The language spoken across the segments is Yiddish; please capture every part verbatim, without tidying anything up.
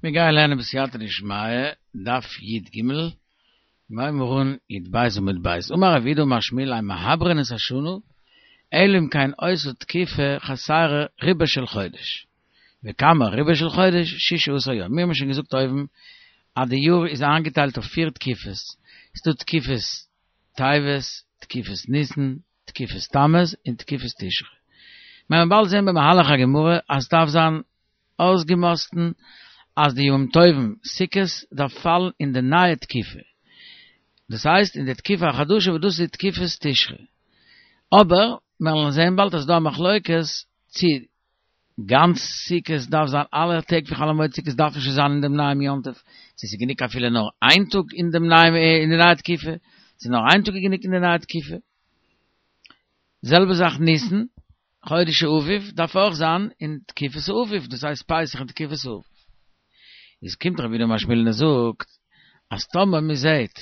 מיר גייען לערנען בסייעתא דשמיא, דף י"ג, מיר הייבן אן י"ב עמוד ב'. אמר רב יהודה אמר שמואל אין מעברין את השנה, אלא אם כן היתה תקופה חסרה רובו של חודש. וכמה רובו של חודש? שישה עשר יום. מיר האבן שוין געזאגט אויבן אז די יאר איז איינגעטיילט אויף פיר תקופות. ס'איז דא תקופת טבת, תקופת ניסן, תקופת תמוז און תקופת תשרי. מיר וועלן באלד זען במהלך הגמרא אז ס'דארף זיין אויסגעמאסטן אז די ימים טובים סוכות דארף פאלן אין די נייע תקופה, דאס הייסט אין די תקופה החדשה וואס דאס איז תקופת תשרי. אבער מיר וועלן זען באלד אז ס'איז דא א מחלוקת צי גאנץ סוכות דארף זיין אלע טעג פון חול המועד סוכות דארף נישט זיין אין דעם נייעם יום טוב, צו ס'איז גענוג אפילו נאר איין טאג אין דעם נייעם אין די נייע תקופה, צו נאר איין טאג איז גענוג אין די נייע תקופה. זעלבע זאך ניסן, חודש האביב דארף אויך זיין אין תקופת האביב, דאס הייסט פסח אין תקופת האביב. איז קומט רב יהודה אמר שמואל און ער זאגט אז טאמער מען זעהט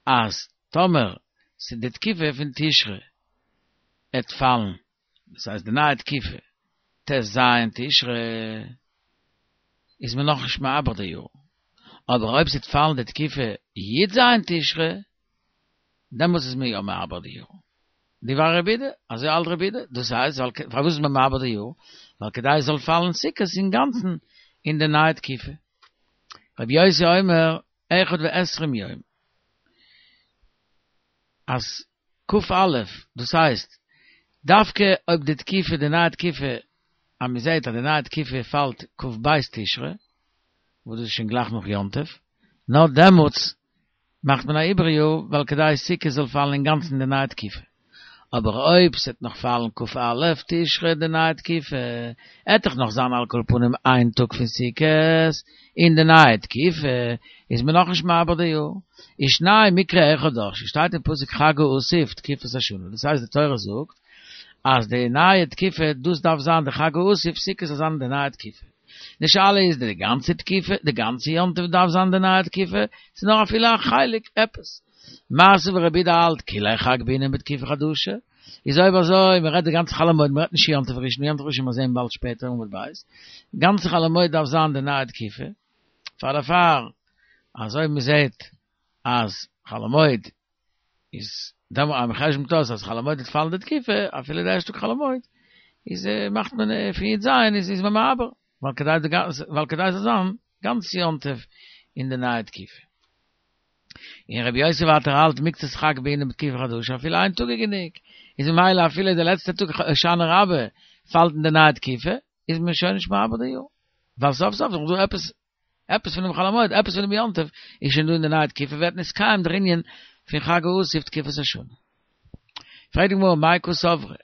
אז טאמער ס'איז די תקופה פון תשרי עט פאלן, דאס הייסט די נייע תקופה ט"ז תשרי, איז מען נאכנישט מעבר די יאר, אבער אויב ס'עט פאלן די תקופה י"ז תשרי, דעמאלטס איז מען יא מעבר די יאר. דברי רבי יהודה, אזוי האלט רבי יהודה, דאס הייסט ווייל פארוואס איז מען מעבר די יאר? ווייל כדי עס זאל פאלן סוכות אינגאנצן אין די נייע תקופה. רבי יוסי אומר אחד ועשרים יום, אז כ"א, דאס הייסט דווקא אויב די תקופה, די נייע תקופה, אז מען זעט אז די נייע תקופה פאלט כ"ב תשרי, וואס דאס איז שוין גלייך נאך יום טוב, נאר דעמאלטס מאכט מען א עיבור יאר ווייל כדי סוכות זאל פאלן אינגאנצן אין די נייע תקופה. אבער אויב ס'עט נאך פאלן כ"א תשרי די נייע תקופה, עט דאך נאך זיין על כל פנים איין טאג פון סוכות אין די נייע תקופה, איז מען נאכנישט מעבר די יאר. ושנים מקרא אחד דרשו, שטייט אין פסוק חג האסיף תקופת השנה, דאס הייסט די תורה זאגט אז די נייע תקופה דאס דארף זיין די חג האסיף סוכות זאל זיין אין די נייע תקופה. די שאלה איז די גאנצע תקופה, די גאנצע יום טוב דארף זיין די נייע תקופה, צו נאר אפילו א חלק עפעס. מר סבר רבי יהודה האלט כוליה חג בעינן בתקופה חדשה, איז אויב אזוי מען רעדט די גאנצע חול המועד, מען רעדט נישט יום טוב ראשון, יום טוב ראשון מיר זעהן באלד שפעטער עמוד ב', גאנצע חול המועד דארף זיין די נייע תקופה, פאר דערפאר אז אויב מען זעהט אז חול המועד איז דעמאלט אז מען חשבונ'ט אויס אז חול המועד וועט פאלן די תקופה, אפילו די ערשטע טאג חול המועד, איז מאכט מען פון י"ז איז איז מען מעבר, ווייל כדי די ווייל כדי ס'זאל זיין גאנץ יום טוב אין די נייע תקופה. און רבי יוסי ווייטער האלט מקצת חג בעינן בתקופה חדשה אפילו איין טאג איז גענוג, איז ממילא אפילו די לעצטע טאג הושענא רבה פאלט אין די נייע תקופה, איז מען שוין נישט מעבר די יאר, ווייל סוף סוף איז דאך דא עפעס עפעס פונעם חול המועד, עפעס פונעם יום טוב איז שוין דא אין די נייע תקופה, ווערט נתקיים דער ענין פון חג האסיף תקופת השנה. פרעגט די גמרא מאי קסברי,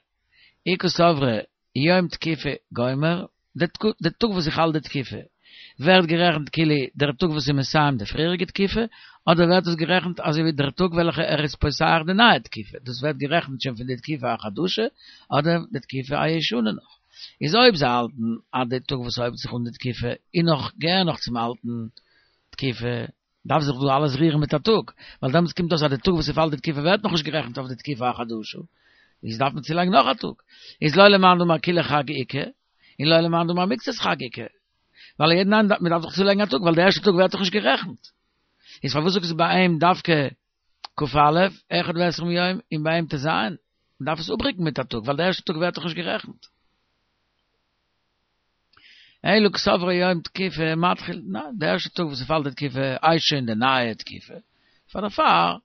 אי קסברי יום תקופה גומר, די טאג וואס איז חל די תקופה ווערט גערעכנט כאילו דער טאג וואס איז מסיים די פריעריגע תקופה, אדער ווערט עס גערעכנט אזוי ווי דער טאג וועלכע ער איז פותח די נייע תקופה, דאס ווערט גערעכנט שוין פון די תקופה החדשה אדער די תקופה הישנה נאך. איז אויב זיי האלטן אז די טאג וואס הויבט זיך אן די תקופה איז נאך געהער נאך צום אלטן תקופה, דארף זיך דא אלעס רירן מיט א טאג, ווייל דעמאלטס קומט אויס אז די טאג וואס ס'פאלט די תקופה ווערט נאכנישט גערעכנט אויף די תקופה החדשה, איז דארף מען צולייגן נאך א טאג. איז לא למאן דאמר כוליה חג איכא, און לא למאן דאמר מקצת חג איכא. ווייל יעדן איינעם דארף, מ'דארף דאך צולייגן א טאג, ווייל די ערשטע טאג ווערט דאך נישט גערעכנט. איז פארוואס זאגסטו ביי אים דווקא כ"א, אחד ועשרים יום, און ביי אים ט"ז? מ'דארף עס אפרוקן מיט א טאג, ווייל די ערשטע טאג ווערט דאך נישט גערעכנט. אלא קסברי יום תקופה מתחיל, ניין, די ערשטע טאג וואס ס'פאלט די תקופה הייסט שוין די נייע תקופה, פאר דערפאר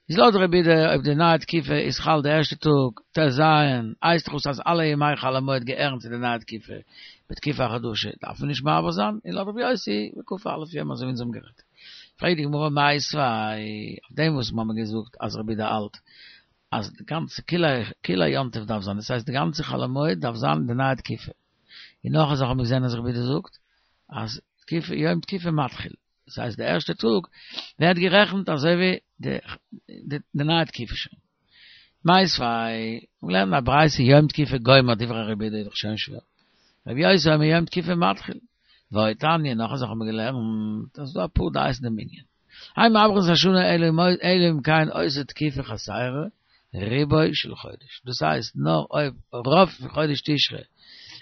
איז לויט רבי יהודה אויב די נייע תקופה איז חל די ערשטע טאג ט"ז הייסט דאך אויס אז אלע ימי חול המועד געהערן צו די נייע תקופה, בתקופה החדשה דארף מען נישט מעבר זיין, און לויט רבי יוסי בכ"א יום אזוי ווי אונז האבן גערעדט. פרעגט די גמרא מיתיבי אויף דעם וואס מ'האמיר געזאגט אז רבי יהודה האלט אז די גאנצע כוליה יום טוב דארף זיין, דאס הייסט די גאנצע חול המועד דארף זיין אין די נייע תקופה. און נאך א זאך האבן מיר געזען אז רבי יהודה זאגט אז תקופה יום תקופה מתחיל, דאס הייסט די ערשטע טאג ווערט גערעכנט אזוי ווי די די נייע תקופה שוין. מיתיבי, מיר לערנען א ברייתא יום תקופה גומר דברי רבי יהודה איז דאך שוין שווער. רבי יוסי אומר יום תקופה מתחיל. ועוד תניא, נאך א זאך האבן מיר געלערנט אז ס'דא אפאר דעות אין דעם ענין. אין מעברין את השנה אלא אם כן היתה תקופה חסרה רובו של חודש, דאס הייסט נאר אויב רוב פון חודש תשרי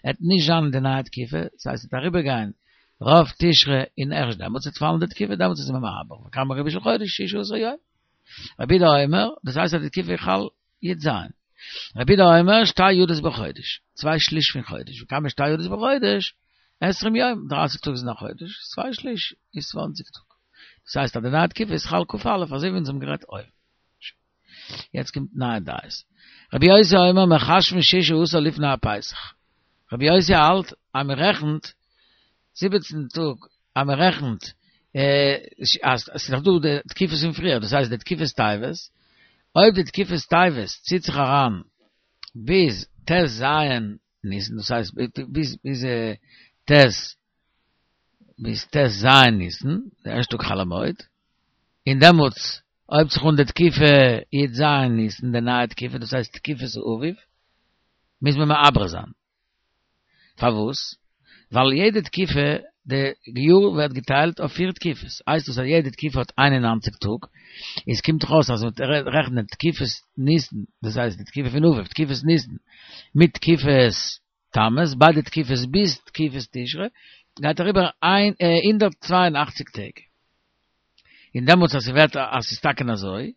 עט נישט זיין אין די נייע תקופה, דאס הייסט עט אריבער גיין רוב תשרי אין ערשט דעמאלטס וועט פאלן די תקיפה, דעמאלטס איז מען מעבר. וכמה רביעי של חודש, שישה עשר יום. רבי יהודה אומר, דאס הייסט אז די תקיפה חל י"ז. רבי יהודה אומר, שתי יו"דות בחודש, צוויי שליש פון חודש. וכמה שתי יו"דות בחודש, עשרים יום, דרייסיג טאג איז אין א חודש, צוויי שליש איז צוואנציג טאג. דאס הייסט אז די נייע תקופה איז חל כ"א, אזוי ווי אונז האבן גערעדט אויבן. יעצט קומט נייע דעות. רבי יוסי אומר מחשבין ששה עשר לפני הפסח. רבי יוסי האלט אז מען רעכנט זיבעצן טאג, אז מען רעכנט אז ס'איז נאך דא די תקופות פון פריער, דאס הייסט די תקופת טבת, אויב די תקופת טבת ציט זיך אריין ביז ט"ז ניסן, דאס הייסט ביז ביז ט' ביז ט"ז ניסן, די ערשטע טאג חול המועד, און דעמאלטס הויבט זיך אן די תקופה י"ז ניסן, די נייע תקופה, דאס הייסט תקופת האביב, מוז מען מעבר זיין. פארוואס? ווייל יעדע תקופה, די יאר ווערט געטיילט אויף פיר תקופות, הייסט דאס אז יעדע תקופה האט איין און נײַנציק טאג, איז קומט דאך אויס אז מען רעכנט תקופת ניסן, דאס הייסט די תקופה פון אביב, תקופת ניסן, מיט תקופת תמוז, ביידע תקופות ביז תקופת תשרי, גייט אריבער הונדערט צוויי און אַכציק טעג. און דעמאלטס אז ס'ווערט אז ס'איז טאקע אזוי,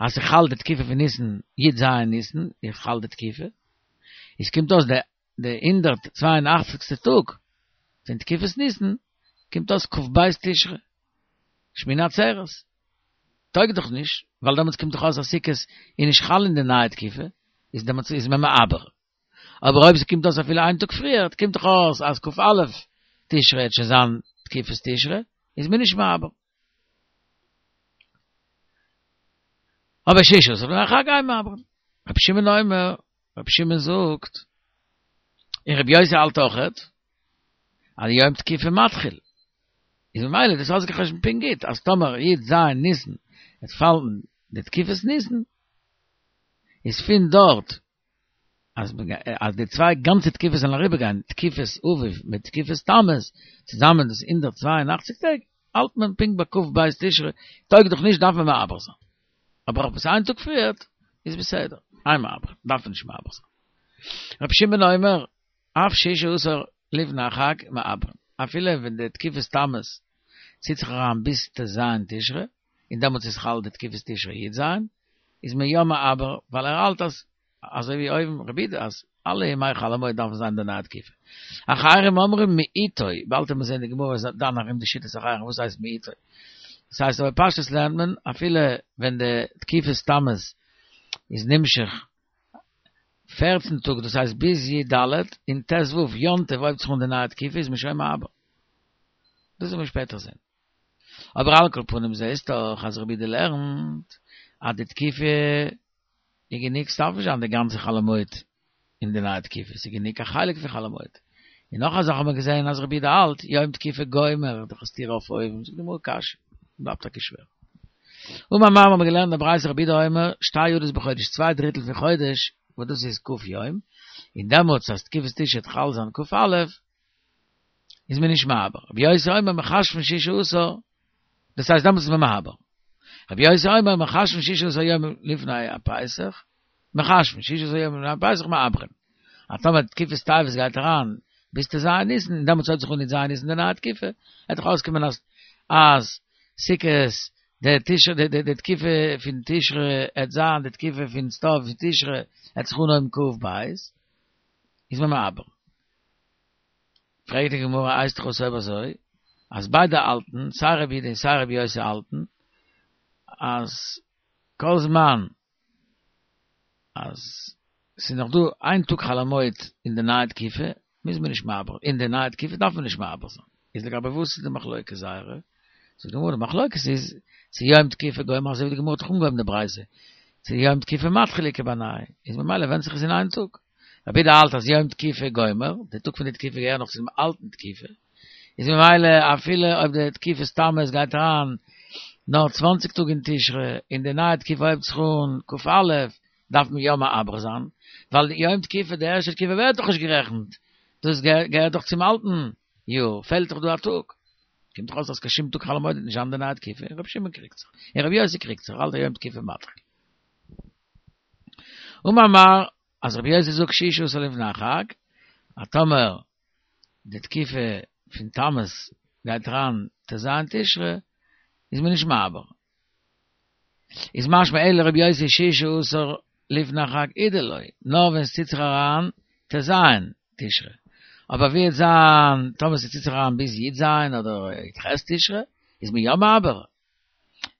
אז ס'חל די תקופה פון ניסן, י"ז ניסן, איז חל די תקופה, איז קומט אויס די די הונדערט צוויי און אַכציקסטע טאג פון תקופת ניסן, קומט אויס כ"ב תשרי, שמיני עצרת. טויג דאך נישט, ווייל דעמאלטס קומט דאך אויס אז סוכות איז נישט חל אין די נייע תקופה, איז דעמאלטס איז מען מעבר. אבער אויב ס'קומט אויס אפילו איין טאג פריער, קומט דאך אויס אז כ"א תשרי וועט שוין זיין תקופת תשרי, איז מען נישט מעבר. אבער ששה עשר לפני החג אין מעברין. רבי שמעון אומר, רבי שמעון זאגט, און רבי יוסי האלט אויכעט, אז יום תקיפה מתחיל. איז ממילא דאס אויסגעחשבונט פונקט גוט, אז טאמער י"ז ניסן וועט פאלן די תקופת ניסן, איז פון דארט אז אז די צוויי גאנצע תקופות זאלן אריבערגיין, תקופת אביב מיט תקופת תמוז, צוזאמען דאס הונדערט צוויי און אַכציק טעג, האלט מען פונקט ביי כ"ב תשרי, טויג דאך נישט דארף מען מעבר זיין. אבער אויב עס איין טאג פריערט, איז בסדר, אין מעברין, דארף מען נישט מעבר זיין. רבי שמעון אומר, אף ששה עשר לפני החג מעברין, אפילו ווען די תקופת תמוז ציט זיך אריין ביז ט"ז תשרי, און דעמאלטס איז חל די תקופת תשרי י"ז, איז מען יא מעבר, ווייל ער האלט אז אזוי ווי אויבן רבי יהודה אז אלע ימי חול המועד דארפן זיין די נייע תקופה. אחרים אומרים מאתו, באלד וועט מען זען די גמרא איז דן ארום די שיטת אחרים וואס הייסט מאתו. דאס הייסט אבער פשטות לערנט מען אפילו ווען די תקופת תמוז איז נמשך פֿערצן טאג דאס הייסט ביז י"ד און ט"ו יום טוב הויבט זיך אן די נייע תקופה איז מען שוין מעבר. דאס וועט מען שפעטער זען. אבער על כל פנים זעהסט דאך אז רבי יהודה לערנט אז די תקופה איז גענוג ס'דארף נישט זיין די גאנצע חול המועד אין די נייע תקופה, ס'איז גענוג א חלק פון חול המועד. און נאך א זאך האט מען געזעהן אז רבי יהודה האלט יום תקיפה גומר, דאך א סתירה אויף אויבן, זאגט די גמרא קשיא, בלייבט טאקע שווער. אמר מר האבן מיר געלערנט די ברייתא רבי יהודה אומר שתי ידות בחודש צוויי דריטל פון חודש וואס דאס איז כ' יום, און דעמאלטס אז תקופת תשרי וועט חל זיין כ"א איז מען נישט מעבר. רבי יוסי אומר מחשבין ששה עשר, דאס הייסט דעמאלטס איז מען מעבר. רבי יוסי אומר מחשבין ששה עשר יום לפני הפסח, מחשבין ששה עשר יום לפני הפסח מעברין. אז טאמער תקופת טבת גייט אריין ביז ט"ז ניסן, און דעמאלטס הויבט זיך אן י"ז ניסן די נייע תקופה, וועט דאך אויסקומען אז אז סוכות די תשרי די די תקופה פון תשרי עט זיין די תקופה פון סתיו פון תשרי עט זיך אנהויבן כ"ב, איז מען מעבר. פרעגט די גמרא הייסט דאך אויס אויב אזוי אז ביידע האלטן סיי רבי יהודה און סיי רבי יוסי האלטן אז כל זמן אז ס'איז נאך דא איין טאג חול המועד אין די נייע תקופה מוז מען נישט מעבר אין די נייע תקופה דארף מען נישט מעבר זיין איז לגבי וואס איז די מחלוקת זייערע זאגט די גמרא די מחלוקת איז צו יום תקיפה גומר אזוי ווי די גמרא האט דאך אנגעהויבן די ברייתא צו יום תקיפה מתחיל איכא בינייהו איז ממילא ווענדט זיך עס אין איין טאג רבי יהודה האלט אז יום תקיפה גומר, די טאג פון די תקיפה געהערט נאך צום אלטן תקיפה, איז ממילא אפילו אויב די תקופת תמוז גייט אריין נאר צוואַנציק טאג אין תשרי און די נייע תקופה הויבט זיך אן כ"א דארף מען יא מעבר זיין, ווייל יום תקיפה די ערשטע תקופה ווערט דאך נישט גערעכנט, דאס געהערט דאך צום אלטן יאר, פעלט דאך דא א טאג. קומט דאך אויס אז קיין שום טאג חול המועד וועט נישט זיין די נייע תקופה, און רבי שמעון קריגט זיך, און רבי יוסי קריגט זיך, האלט יום תקיפה מתחיל. אמר מר. אז רבי יוסי זאגט ששה עשר לפני החג, אז טאמער די תקופה פון תמוז גייט אריין ט"ז תשרי, איז מען נישט מעבר. איז משמע אלא לרבי יוסי ששה עשר לפני החג הוא דלא, נאר ווען עס ציט זיך אריין ט"ז תשרי. אבער ווי וועט זיין, טאמער עס ציט זיך אריין ביז י"ז אדער י"ח תשרי, איז מען יא מעבר.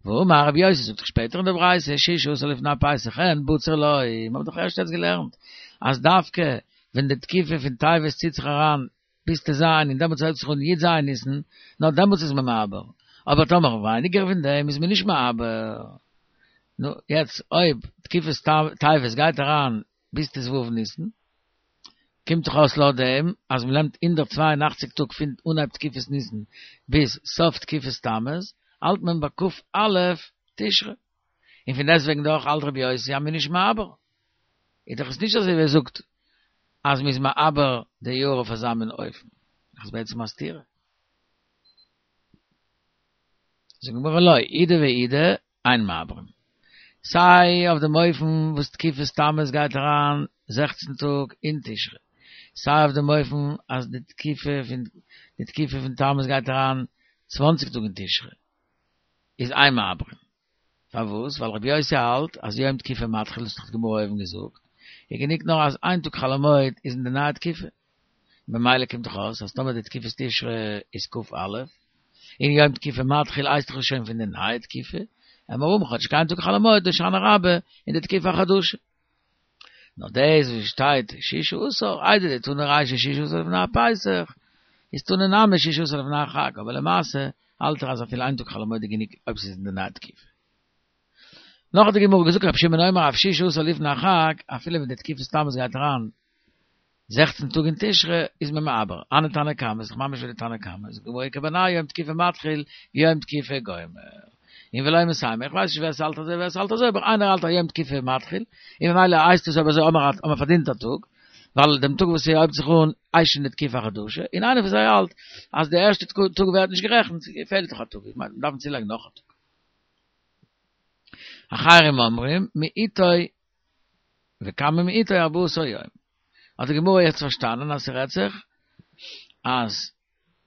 ואמר רבי יוסי זאגט דאך שפעטער אין די ברייתא ששה עשר לפני הפסח אין בציר לא, מיר האבן דאך ערשט יעצט געלערנט אז דווקא ווען די תקופה פון טבת ציט זיך אריין ביז ט"ז און דעמאלטס הויבט זיך אן י"ז ניסן, נאר דעמאלטס איז מען מעבר, אבער טאמער ווייניגער פון דעם איז מען נישט מעבר. נו, יעצט אויב תקופת טבת גייט אריין ביז ט"ו ניסן, קומט דאך אויס לויט דעם אז מען נעמט הונדערט צוויי און אַכציק טאג פון אנהייב תקופת ניסן ביז סוף תקופת תמוז, האלט מען ביי כ"א תשרי. און פון דעסטוועגן דאך האלט רבי יוסי אז מען איז נישט מעבר. איז דאך עס נישט אזוי ווי ער זאגט אז מען איז מעבר די יאר אויף אזא מין אופן. דאך איז בעצם א סתירה. זאגט די גמרא לא, אידי ואידי אין מעברין. סיי אויף דעם אופן וואס תקופת תמוז גייט אריין זעכצן טאג אין תשרי, סיי אויף דעם אופן אז די תקופה פון די תקופה פון תמוז גייט אריין צוואנציג טאג אין תשרי, איז אין מעברין. פארוואס? ווייל רבי יוסי האלט אז יום תקופה מתחיל, דאס האט דאך די גמרא אויבן געזאגט, איז גענוג נאר אז איין טאג חול המועד איז אין די נייע תקופה. ממילא קומט דאך אויס אז טאמער די תקופת תשרי איז כ"א, און יום תקופה מתחיל הייסט דאך עס שוין פון די נייע תקופה, וועלן מיר האבן כאטשיג איין טאג חול המועד הושענא רבה אין די תקופה החדשה. נאר דאס וואס שטייט ששה עשר, איידי דתנא רישא ששה עשר לפני הפסח, איז תנא נמי ששה עשר לפני החג, אבער למעשה האלט ער אז אפילו איין טאג חול המועד איז גענוג אויב ס'איז אין די נייע תקופה. נאך האט די גמרא געזאגט רבי שמעון אומר אף ששה עשר לפני החג, אפילו ווען די תקופת תמוז גייט אריין זעכצן טאג אין תשרי איז מען מעבר, הני תנא קמא איז דאך ממש ווי די תנא קמא, זאגט די גמרא איכא בינייהו יום תקופה מתחיל ויום תקופה גומר, און ולא מסיימא, איך ווייס נישט ווער ס'האלט אזוי ווער ס'האלט אזוי, אבער איינער האלט אז יום תקופה מתחיל, און ממילא הייסט עס אויב אזוי האט מען פארדינט א טאג, ווייל דעם טאג וואס ס'הויבט זיך אן הייסט שוין די תקופה החדשה, און איינער פון זיי האלט אז די ערשטע טאג ווערט נישט גערעכנט, פעלט דאך א טאג, איך מיין מ'דארף צולייגן נאך א טאג. אחרים אומרים מאתו וכמה מאתו ארבעה עשר יום. האט די גמרא יעצט פארשטאנען אז ס'רעדט זיך אז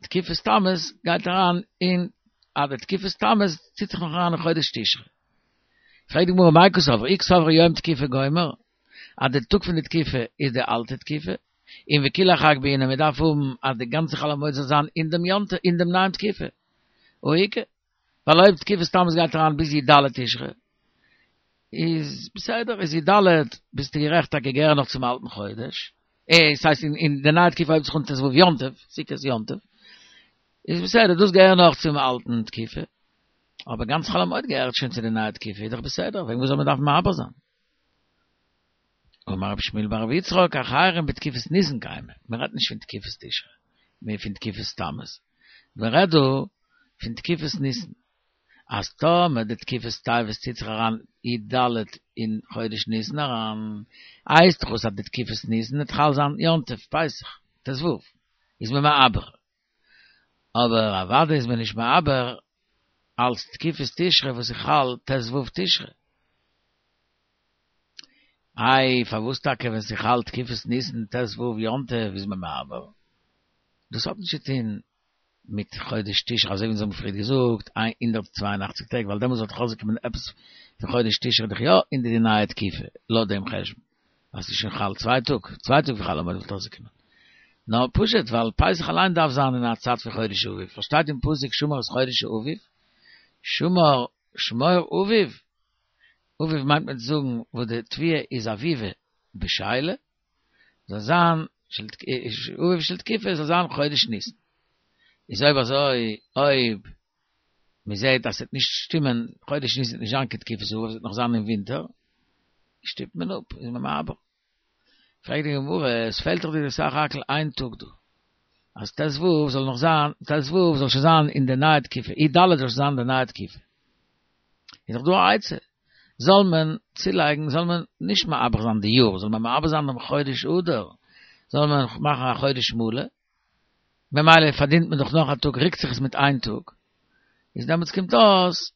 תקופת תמוז גייט אריין אין אז די תקופת תמוז ציט זיך נאך אריין אין חודש תשרי. פרעגט די גמרא מאי קסבר אי קסבר יום תקופה גומר אז די טאג פון די תקופה איז די אלטע תקופה, און וכוליה חג בעינן מען דארף האבן אז די גאנצע חול המועד זאל זיין אין דעם יום טוב אין דעם נייעם תקופה. הא איכא. ווייל אויב תקופת תמוז גייט אריין ביז י"ד תשרי, איז בסדר, איז י"ד ביסטו גערעכט טאקע געהער נאך צום אלטן חודש, אה, ס'הייסט אין די נייע תקופה הויבט זיך אן ט"ו יום טוב, סוכות יום טוב, איז בסדר, דאס געהער נאך צום אלטן תקופה, אבער גאנץ חול המועד געהערט שוין צו די נייע תקופה, איז דאך בסדר, וועגן וואס זאל מען דארפן מעבר זיין? אמר רבי שמואל בר רבי יצחק, אחרים בתקופת ניסן קיימי, מען רעדט נישט פון תקופת תשרי, מער פון תקופת תמוז, מען רעדט דא פון תקופת ניסן, אז טאמער די תקופת טבת ציט זיך אריין י"ד אין חודש ניסן אריין, הייסט דאך אויס אז די תקופת ניסן וועט חל זיין יום טוב פסח, ט"ו, איז מען מעבר, אבער אוודאי איז מען נישט מעבר אלס תקופת תשרי וואס איז חל ט"ו תשרי. איי פארוואס טאקע ווען ס'איז חל תקופת ניסן ט"ו יום טוב איז מען מעבר? דאס האט נישט צו טון מיט חודש תשרי אזוי ווי אונז האבן פריער געזאגט הונדערט צוויי און אַכציק טעג ווייל דעמאלס וואלט דאך אויסגעקומען עפעס פון חודש תשרי דאך יא אין די נייע תקופה לויט דעם חשבון אז ס'איז שוין חל צוויי טאג צוויי טאג פון חול המועד וואלט אויסגעקומען נאר פשוט ווייל פסח אליין דארף זיין אין א צייט פון חודש אביב פארשטייט אין פסוק שמור את חודש האביב שמור שמור אביב אביב מיינט מען צו זאגן וואס די תבואה איז אביבה בשלה, זאל זיין אביב של תקופה זאל זיין חודש ניסן. איז אויב אזוי אויב מען זעט אז ס'וועט נישט שטימען חודש ניסן וועט נישט זיין קיין תקופת אביב ס'וועט נאך זיין אין ווינטער, שטופט מען אפ איז מען מעבר. פרעגט די גמרא, עס פעלט דאך דיר סך הכל איין טאג דא, אז ט"ו זאל נאך זיין, ט"ו זאל שוין זיין אין די נייע תקופה, י"ד זאל שוין זיין אין די נייע תקופה. איז דאך דא א עצה, זאל מען צולייגן, זאל מען נישט מעבר זיין די יאר, זאל מען מעבר זיין דעם חודש אדר, זאל מען מאכן א חודש מלא, ממילא פארדינט מען דאך נאך א טאג, רוקט זיך עס מיט איין טאג, איז דעמאלטס קומט אויס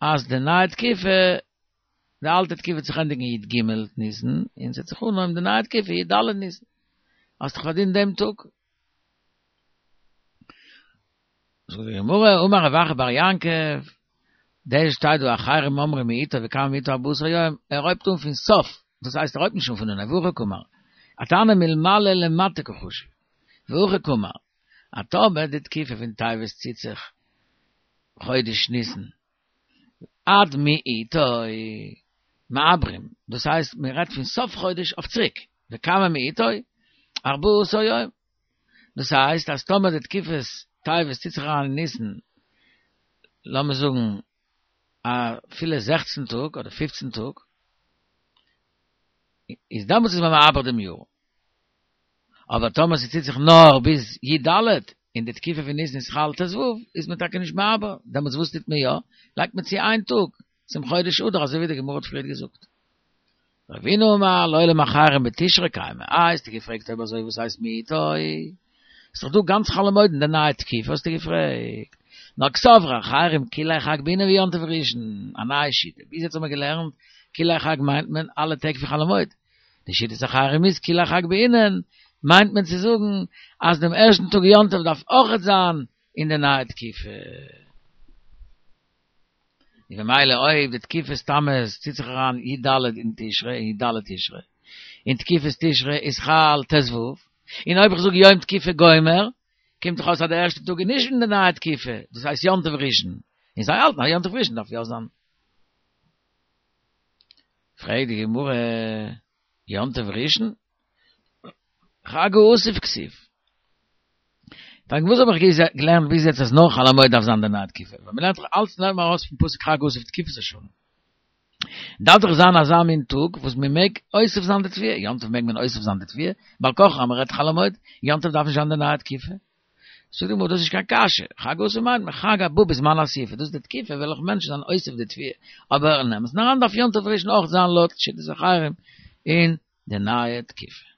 אז די נייע תקופה, די אלטע תקופה וועט זיך ענדיגן י"ג ניסן, און ס'וועט זיך אנהויבן די נייע תקופה י"ד ניסן, האסט דאך פארדינט דעם טאג. זאגט די גמרא, אמר רב אחא בר יעקב, דאס שטייט דא אחרים אומרים מאתו וכמה מאתו ארבעה עשר יום, ער הויבט אן פון סוף, דאס הייסט ער הויבט נישט אן פון אנהייב, והכי קאמר, התנא מלמעלה למטה קא חשיב, והכי קאמר, אז טאמער די תקופה פון טבת ציט זיך חודש ניסן עד מאתו מעברים, דאס הייסט מען רעדט פון סוף חודש אויף צוריק, וכמה מאתו ארבעה עשר יום, דאס הייסט אז טאמער די תקופת טבת ציט זיך אריין אין ניסן, לאמיר זאגן אפילו זעכצן טאג אדער פופצן טאג, איז דעמאלטס איז מען מעבר דעם יאר. אבער טאמער ס'ציט זיך נאר ביז י ד, און די תקופה פון ניסן איז חל ט ו, איז מען טאקע נישט מעבר, דעמאלטס וואס טוט מען יא? לייגט מען צו איין טאג צום חודש אדר אזוי ווי די גמרא האט פריערט געזאגט. רבינא אמר לעולם אחרים בתשרי קיימי, אה האסטו געפרעגט אויב אזוי וואס הייסט מאתו? איז דאך דא גאנץ חול המועד אין די נייע תקופה האסטו געפרעגט. נאר קסברי אחרים כוליה חג בעינן ויום טוב ראשון, א נייע שיטה, ביז יעצט האט מען געלערנט כוליה חג מיינט מען אלע טעג פון חול המועד, די שיטת אחרים איז כוליה חג בעינן מיינט מען צו זאגן אז דעם ערשטן טאג יום טוב דארף אויכעט זיין אין די נייע תקופה. און במילא אויב די תקופת תמוז ציט זיך אריין י ד אין תשרי, אין י ד תשרי, און תקופת תשרי איז חל ט ו, און אויב איך זאג יום תקופה גומר, קומט דאך אויס אז די ערשטע טאג איז נישט אין די נייע תקופה, דאס הייסט יום טוב ראשון, און זיי האלטן אז יום טוב ראשון דארף יא זיין. פרעגט די גמרא, יום טוב ראשון? חג האסיף כתיב. פארוואס האב איך געלערנט ביז יעצט אז נאר חול המועד דארף זיין די נייע תקופה? ווייל מ'לערנט דאך אלץ לערנט מען ארויס פון פסוק חג האסיף תקופת השנה. דארף דאך זיין אזא מין טאג וואס מ'מעג אוסף זיין די תבואה, יום טוב מעג מען אוסף זיין די תבואה, בעל כרחך אז מ'רעדט חול המועד, יום טוב דארף נישט זיין די נייע תקופה. זאגט די גמרא דאס איז נישט קיין קשיא, חג האסיף מיינט מען חג הבא בזמן האסיפה, דאס איז די תקופה וועלכע מענטשן זענען אוסף די תבואה, אבער אין אמת'ן אריין דארף יום טוב ראשון אויך זיין לויט שיטת אחרים אין די נייע תקופה.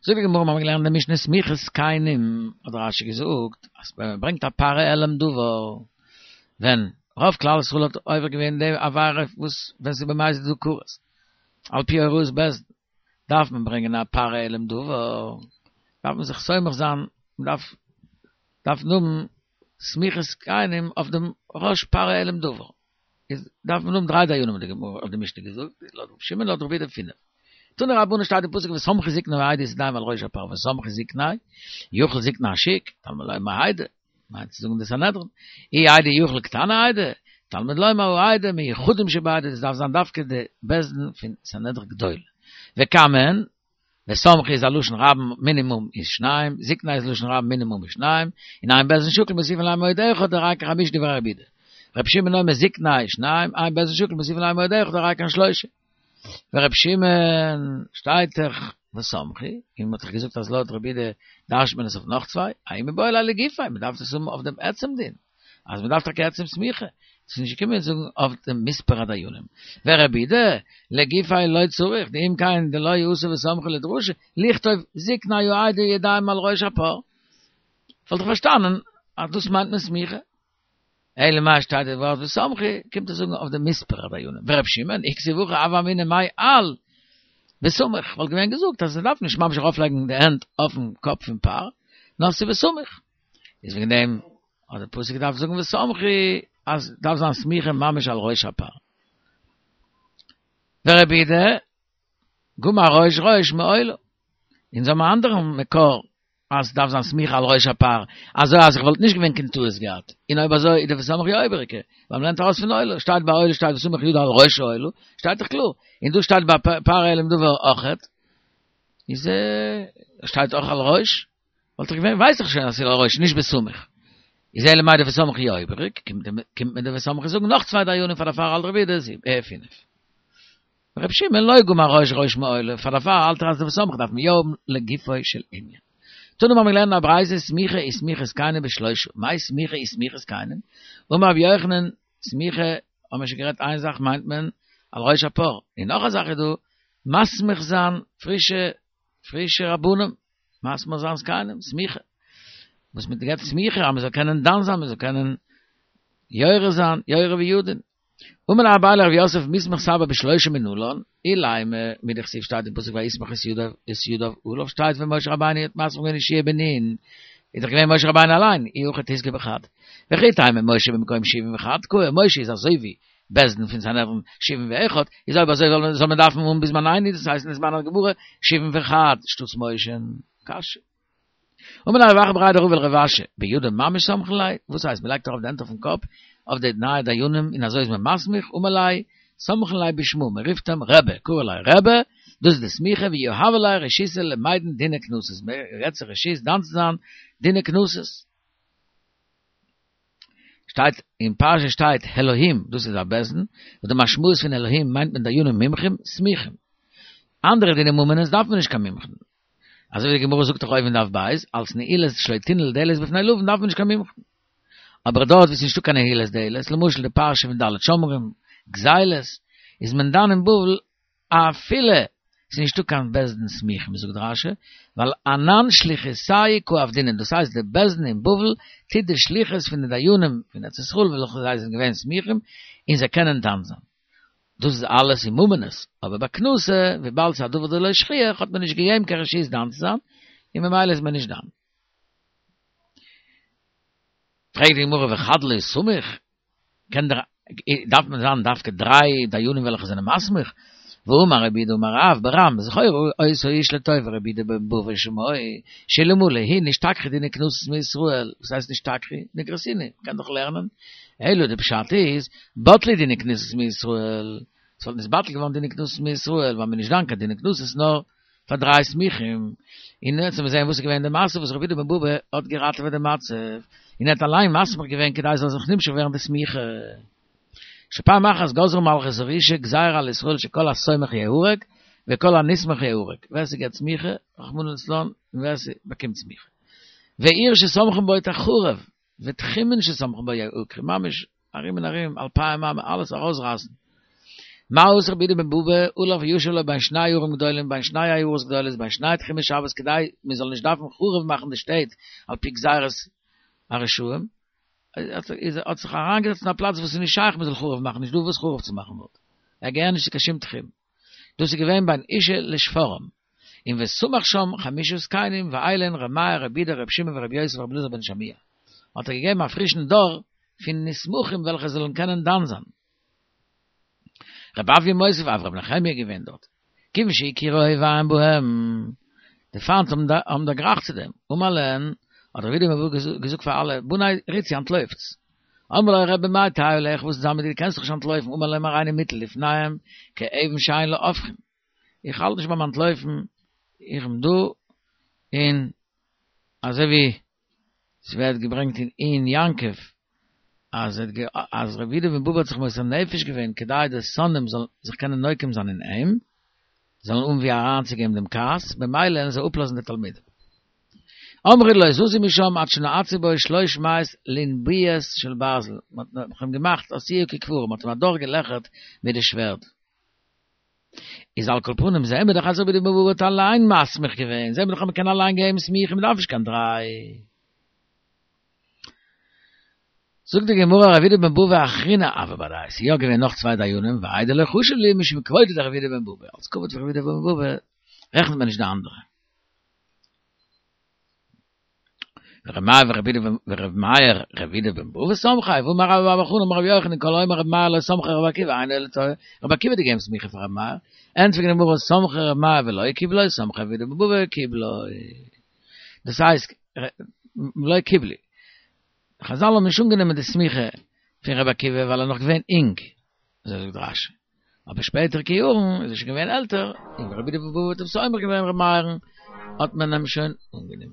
זאגט די גמרא, מיר האבן געלערנט אין די משנה סמיכת זקנים, האט רש י געזאגט אז ווען מען ברענגט א פר העלם דבר, ווען רוב כלל ישראל האט עובר געווען די עבירה וואס ווען ס'איז במזיד איז דא כרת, על פי הוראת בית דין, דארף מען ברענגען א פר העלם דבר, דארף מען זיך סומך זיין, מען דארף דארף האבן סמיכת זקנים אויף דעם ראש פר העלם דבר. איז דארף מען האבן דריי דיינים האט די גמרא האט די משנה געזאגט, לויט רבי שמעון לויט רבי יהודה פינף. תנו רבנן שטייט אין פסוק וסמכו זקני העדה את ידיהם על ראש הפר וסמכו זקני יוכל זקני השוק תלמוד לומר העדה מיינט צו זאגן די סנהדרין אי העדה יוכל קטני העדה תלמוד לומר העדה מיוחדים שבעדה דאס דארף זיין דווקא די בית דין פון סנהדרין גדול וכמה הן וסמכו איז א לשון רבים מינימום איז שניים, זקני איז לשון רבים מינימום איז שניים, און אין בית דין שקול מוסיפין עליהם עוד אחד הרי כחמישה דברי רבי יהודה. רבי שמעון אומר זקני שניים, אין בית דין שקול מוסיפין עליהם עוד אחד הרי כאן שלושה. ורבי שמעון שטייט דאך וסמכו, און מ'האט דאך געזאגט אז לויט רבי יהודה דרש'ט מען עס אויף נאך צוויי, ההוא מיבעי ליה לגופיה, מ'דארף דאס האבן אויף דעם עצם דין. אז מען דארף טאקע עצם סמיכה, ס'איז נישט געקומען זאגן אויף דעם מספר הדיינים. ורבי יהודה, לגופיה לא צריך, דאם כן דלא אתא וסמכו לדרשה, לכתוב זקני העדה ידיהם על ראש הפר. וואלט איך פארשטאנען אז דאס מיינט מען סמיכה. אלא מאי שטייט די ווארט וסמכו, קומט עס זאגן אויף דעם מספר הדיינים. ורבי שמעון, אי כתיב הכא הוה אמינא מאי על וסמוך, וואלט געווען געזאגט אז מ'דארף נישט ממש ארויפלייגן די הענט אויפן קאפ פון פר, נאר ס'איז וסמוך. איז וועגן דעם האט דער פסוק געדארפט זאגן וסמכו אז דארף זיין סמיכה ממש על ראש הפר. ורבי יהודה גמר ראש ראש מעולה. אונז האבן א אנדערן מקור אז דארף זיין סמיכה על ראש הפר, אזוי אז איך וואלט נישט געווען קיין טעות געהאט, און אויב אזוי איז די וסמכו יא איבעריגע, ווייל מ'לערנט ארויס פון עולה, שטייט ביי עולה שטייט וסמך ידו על ראש העולה, שטייט דאך קלאר, און דא שטייט ביי פר העלם דבר אויכעט, איז שטייט אויך על ראש. וואלט איך געווען ווייס איך שוין אז ס'איז על ראש נישט וסמוך. איז אלא מאי די וסמכו יא איבעריג, קומט מיר די וסמכו זאגן נאך צוויי דיינים פאר דערפאר האלט רבי יהודה אה פינף. רבי שמעון לא גמר ראש ראש מעולה, פאר דערפאר האלט ער אז די וסמכו דארף מען יא האבן לגופו של ענין. תנא מיר האבן געלערנט א ברייתא סמיכה וסמיכת זקנים בשלושה, מאי סמיכה וסמיכת זקנים? אמר רבי יוחנן, סמיכה האבן מיר שוין גערעדט איין זאך מיינט מען על ראש הפר, און נאך א זאך איז דא מסמיך זיין פרישע פרישע רבנים, מסמיך זיין זקנים, סמיכה. וואס מען געבט סמיכה אז מען זאל קענען דן זיין, מען זאל קענען יורה זיין, יורה וידון. אמר ליה אביי לרב יוסף מיסמך סבא בשלושה מנלן, אילימא מדכתיב שטייט אין פסוק ויסמך את ידיו את ידיו עליו שטייט ווען משה רבינו האט מסמיך געווען יהושע בן נון איז דאך געווען משה רבינו אליין אי הכי תיזכי בחד וכי תימא משה במקום שבעים וחד קאי משה איז אזוי ווי בית דין פון סנהדרין שבעים ואחד איז אויב אזוי זאל מען דארפן האבן בזמנינו דאס הייסט אין זמן הגמרא שבעים וחד שטאטס משה קשיא. אמר ליה רב אחא בריה דרבא לרב אשי, בידא ממש סמכין ליה, וואס הייסט מ'לייגט ארויף די הענט אויפן קאפ אויף די נייע דיינים און אזוי איז מען מסמיך, אמר ליה, סמכין ליה בשמא, מ'רופט אים רבי, קרי ליה רבי, דאס איז די סמיכה, ויהבי ליה רשותא למידן דיני קנסות, מ'געבט זיי רשות דן צו זיין דיני קנסות. שטייט אין פרשה שטייט אלהים, דאס איז א בית דין, וואס די משמעות פון אלהים מיינט מען דיינים מומחים, סמיכים. אנדערע דיני ממונות דארף מען נישט קיין מומחים. אזוי ווי די גמרא זאגט דאך אויבן דף בית, אלס נעילת שלא תנעול דלת בפני לווין דארף מען נישט קיין מומחים. אבער דארט וואו ס'איז נישטא קיין נעילת דלת, למשל די פרשה פון ד' שומרים, גזילות, איז מען דן אין בבל אפילו ס'איז נישטא קיין בית דין סמיכים זאגט רש"י, ווייל אנן שליחותייהו קא עבדינן, דאס הייסט די בית דין אין בבל טוט די שליחות פון די דיינים פון ארץ ישראל וועלכע זיי זענען געווען סמיכים און זיי קענען דן זיין. דאס איז אלעס אין ממונות, אבער ביי קנסא, וויבאלד ס'איז א דבר דלא שכיח, האט מען נישט געגעבן קיין רשות דן צו זיין, און ממילא איז מען נישט דן. פרעגט די גמרא וחד לא סמיך, קען דער, דארף מען זיין דווקא דריי דיינים וועלכע זענען מסמיך? והאמר רב יהודה אמר רב ברם זכור אותו האיש לטובה רבי יהודה בן בבא שמו שאלמלא הוא נשתכחו דיני קנסות מישראל, וואס הייסט נשתכחו? נגרסינהו, מ'קען דאך לערנען אלא די פשט איז, בטלו דיני קנסות מישראל, ס'וואלט נתבטל געווארן דיני קנסות מישראל, ווייל מ'איז נישט דן קיין דיני קנסות נאר פאר דריי סמיכים, און יעצט וועלן מיר זען וואס איז געווען די מעשה וואס רבי יהודה בן בבא האט געראטעוועט די מצב, און ער האט אליין מסמיך געווען כדי ס'זאל זיך נמשך ווערן די סמיכה. שפעם אחת גזרה מלכות הרשעה גזירה על ישראל שכל הסומך יהרג וכל הנסמך יהרג, ווער ס'געבט סמיכה, רחמנא לצלן, און ווער ס'באקומט סמיכה. ועיר שסומכין בה תחרב, ותחומין שסומכין בה יעקרו, ממש ארום און ארום, אלפיים אמה, אלעס ארויסרייסן. מה עשה רבי יהודה בן בבא, הלך וישב לו בין שני ערים גדולים, בין שני עיירות גדולות, בין שני תחומי שבת, כדי מען זאל נישט דארפן חרוב מאכן די שטעט על פי גזירת הרשעים, איז ער האט זיך אריינגעזעצט אין א פלאץ וואס איז נישט שייך מען זאל חרוב מאכן, נישט דא וואס חרוב צו מאכן דארט, ער געהער נישט צו קיין שום תחום. דאס איז געווען בין אושא לשפרעם, און וסמך שם חמשה זקנים ואלו הן ר' מאיר ר' יהודה ר' שמעון ור' יוסי ור' אלעזר בן שמוע, האט ער געגעבן א פרישן דור פון נסמכים וועלכע זאלן קענען דן זיין. ר' אויא מוסיף אף ר' נחמיה געווען דארט, כיוון שהכירו אויביהם בהם, די פיינט האבן דערגרייכט צו דעם, אמר להן, האט רבי יהודה בן בבא געזאגט פאר אלע, בני רוצו אנטלויפטס, אמרו לו רבי מאי תהא עליך וואס איז מיט דיר קענסט דאך נישט אנטלויפן, אמר להם הריני מוטל לפניהם כאבן שאין לה הופכין, איך האלט נישט ביים אנטלויפן, איך בין דא, און אזוי ווי ס'ווערט געברענגט אין עיון יעקב, אז אז רבי יהודה בן בבא האט זיך מוסר נפש געווען כדי די שונאים זאלן זיך קענען נוקם זיין אין אים, זאלן האבן ווי אריינצוגעבן דעם כעס, במילא וועלן זיי אפלאזן די תלמידים. אמרו לא יזוזו משם עד שנעצו בו שלוש מאות לנביות של ברזל, מען האט אים געמאכט עשאוהו ככברה, מען האט אים אדורכגעלעכערט מיט די שווערד. איז על כל פנים זעהן מיר דאך אז רבי יהודה בן בבא האט אליין מסמיך געווען, זעהן מיר דאך אז מען קען אליין געבן סמיכה, מען דארף נישט קיין דריי. זאגט די גמרא רבי יהודה בן בבא אחרינא הוה בהדייהו, ס'איז יא געווען נאך צוויי דיינים, והאי דלא חשיב להו משום כבודו דרבי יהודה בן בבא, אלס כבוד פון רבי יהודה בן בבא רעכנט מען נישט די אנדערע. ור' מאיר ורבי יהודה ור' מאיר רבי יהודה בן בבא סמכיה, והאמר רבה בר בר חנה אמר רבי יוחנן כל האומר רבי מאיר לא סמכו רבי עקיבא אינו אלא טועה, רבי עקיבא האט געגעבן סמיכה פאר רבי מאיר, ענטפערט די גמרא סמכו רבי מאיר ולא קיבלו, סמכו רבי יהודה בן בבא וקיבלו. דאס הייסט לא קיבלו. חזל האבן נישט אנגענומען די סמיכה פון רבי עקיבא ווייל ער איז נאך געווען אינג, אזוי זאגט רשי. אבער שפעטערע יארן איז ער שוין געווען עלטער, און רבי יהודה בן בבא האט אים סומך געווען רבי מאיר'ן, האט מען אים שוין אנגענומען.